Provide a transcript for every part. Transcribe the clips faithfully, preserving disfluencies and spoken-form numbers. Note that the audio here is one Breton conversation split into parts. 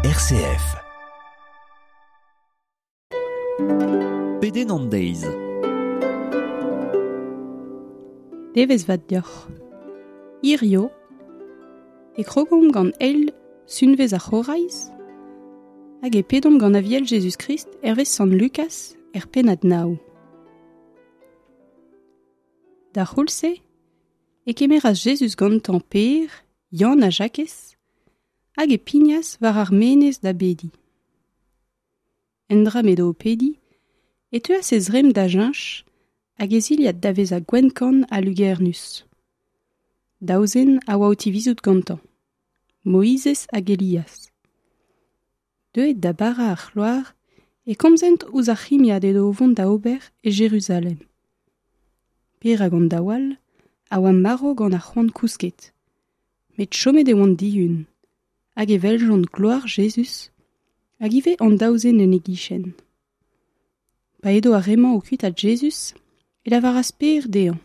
R C F. Pedenn an deiz. Devezh vat deoc'h. Hirio, e krogomp gant eil sunvezh ar C'horaiz hag e pedomp gant Aviel Jezuz-Krist hervez Sant Lukaz er pennad nav. D'ar c'houlz-se e kemeras Jezuz gantañ Pêr, Yann ha Jakez hag e pignas war ar menez da bediñ. Endra m'edo o pediñ e teuas e zremm da cheñch hag e zilhad da vezañ gwenn-kann ha lugernus. Daou zen a oa o tivizout gantañ, Moizez hag Elias. Deuet da barañ ar c'hloar e komzent ouzh ar c'himiad edo o vont da ober e Jeruzalem. Pêr hag an daou all a oa marv gant ar c'hoant kousket, met chomet e oant dihun, hag e weljont gloar Jezuz, hag ivez an daou zen en e gichen. Pa edo ar re-mañ o kuitaat Jezuz, e lavaras Pêr dezhañ: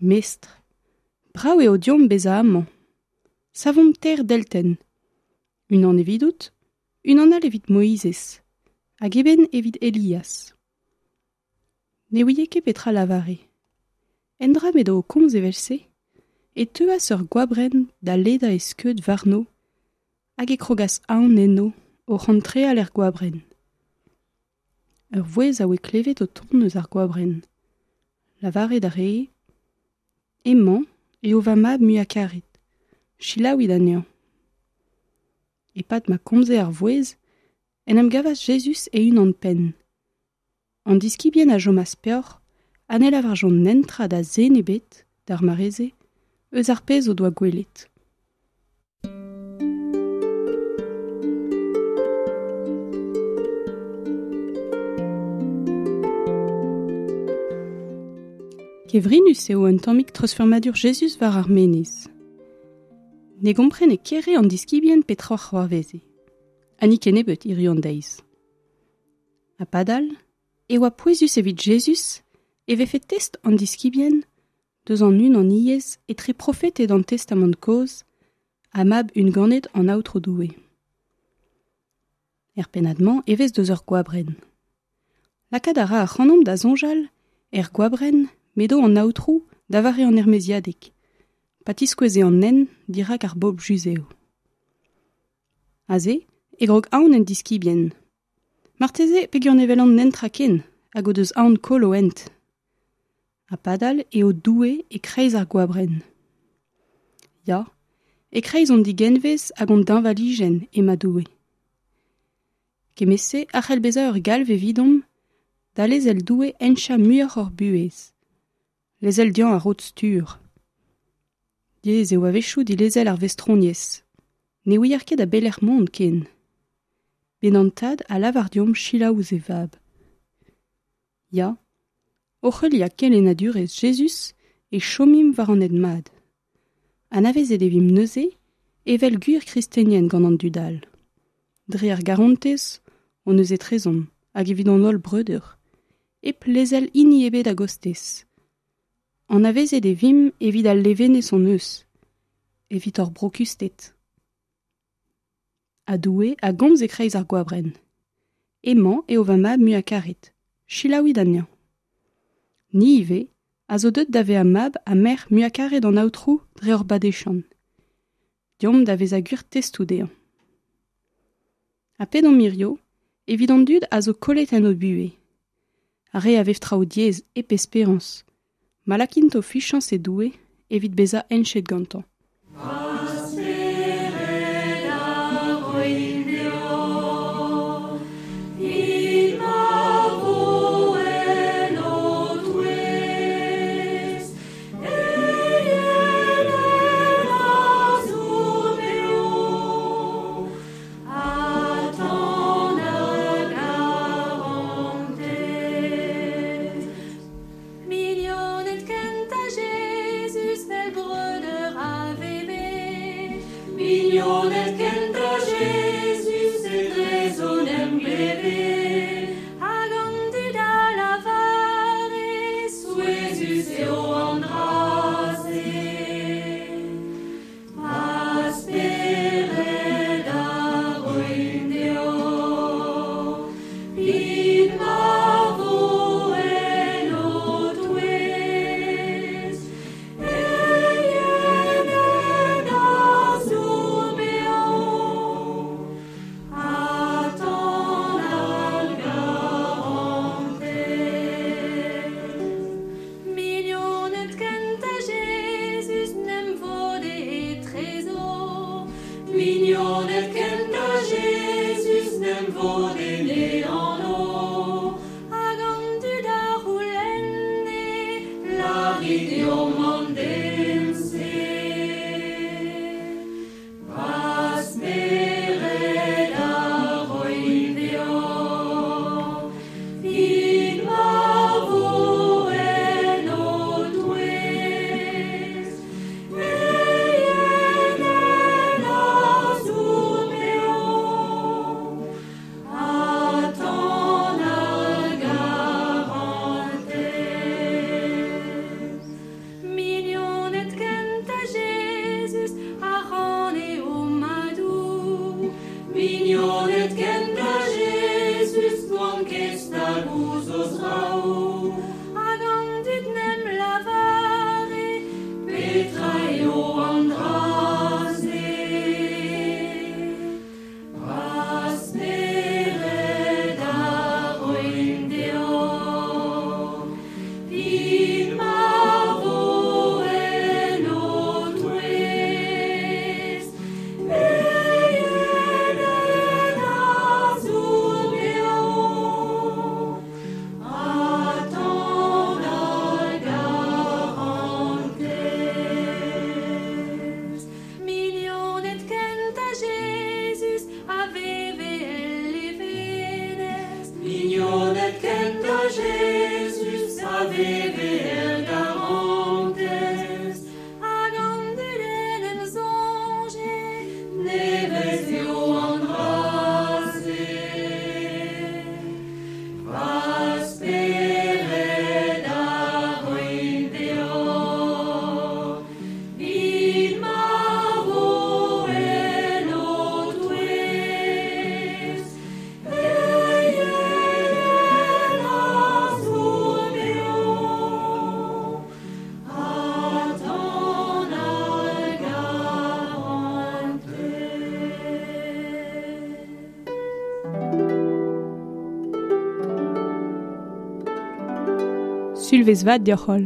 Mestr, brav eo deomp bezañ amañ. Savomp teir deltenn. Unan evidout, unan all evit Moizez, hag eben evit Elias. Ne ouie ket petra lavare. Endra m'edo o komz evel-se, e teuas ur goabrenn da ledañ e skeud warno, hag e krogas aon enno oc'h antreal er goabrenn. Ur vouezh a oa klevet o tont eus ar goabrenn. Lavaret a ree: Hemañ eo va mab muiañ-karet, selaouit anezhañ. E-pad ma komze ar vouezh, en em gavas Jezuz e-unan-penn. An diskibien a chomas peoc'h ha ne lavarjont netra da zen ebet, d'ar mare-se, eus ar pezh o doa gwelet. Kevrinus eo un tammig treuzfurmadur Jezuz war ar menez. Ne gomprene ket re an diskibien petra c'hoarveze. Ha ni kennebeut hiziv an deiz. Ha padal, e oa pouezus evit Jezuz e vefe test an diskibien deus an unaniezh etre profeted an Testamant kozh ha mab unganet an Aotrou Doue. Er pennad-mañ e vez deus ur goabrenn. Lakaat a ra ac'hanomp da soñjal er goabrenn m'edo an Aotrou da vare an Ermaeziadeg, pa tiskoueze an hent dirak ar bobl yuzev. Aze e grog aon en diskibien. Marteze peogwir ne welont netra ken hag o deus aon koll o hent. Ha padal eo Doue e-kreiz ar goabrenn. Ya, e-kreiz hon digenvez hag hon deñvalijenn emañ Doue. Kement-se a c'hell bezañ ur galv evidomp da lezel Doue henchañ muioc'h hor buhez. Lezel dezhañ ar rod-stur. Diaes eo a-wechoù dilezel ar vestroniezh. Ne ouier ket a belec'h mont ken. Met an Tad a lavar deomp selaou ouzh e vab. Ya, oc'h heuliañ kelennadurezh Jezuz e chomimp war an hent mat. Anavezet e vimp neuze evel gwir kristenien gant an dud all. Dre ar garantez hon eus etrezomp hag evit hon holl breudeur, hep lezel hini ebet a-gostez. Anavezet e vimp evit al levenez hon eus, evit hor brokusted. Ha Doue a gomz e-kreiz ar goabrenn. Hemañ eo va mab muiañ-karet, selaouit anezhañ. Ni ivez a zo deuet da vezañ mab ha merc'h muiañ-karet an Aotrou dre hor badeziant. Deomp da vezañ gwir testoù dezhañ. Ha pedomp hirio evit an dud a zo kollet en o buhez. Ar re a vev traoù diaes hep esperañs, ma lakint o fiziañs e Doue evit bezañ henchet gantañ. Va spered a roin deoc'h, evit ma vo en ho touez, e yenen a zo beo, ha tan a garantez. Mignoned kentañ Jezuz, 'vel breudeur a veve. Mignoned kentañ Jezuz, etrezo 'n em gleve. Hag an dud a lavare, souezhus eo an dra-se. Va spered a Mignoned kentañ Jezuz n'em vodene anv Hag an dud a c'houlenne Lârit deomp an den-se Va spered a roin deoc'h 'Vit ma vo en ho touez Eienenn a zour beo Ha tan ar garantez Mignoned kentañ Jezuz a ranne o madoù Mignoned kentañ Jezuz n'oant ket stag ouzh o zraoù Hag an dud n'em lavare Petra eo an dra-se Va spered a roin deoc'h 'Vit ma vo en ho touez Eienenn a zour beo Ha tan ar garantez Mignoned kentañ Jezuz a veve el levenez Mignoned kentañ Jezuz a veve er garantez Hag an dud en em soñje Nevez eo an dra-se Va spered a roin deoc'h 'Vit ma vo en ho touez Eienenn a zour beo Ha tan ar garantez Sulvezh vat deoc'h holl.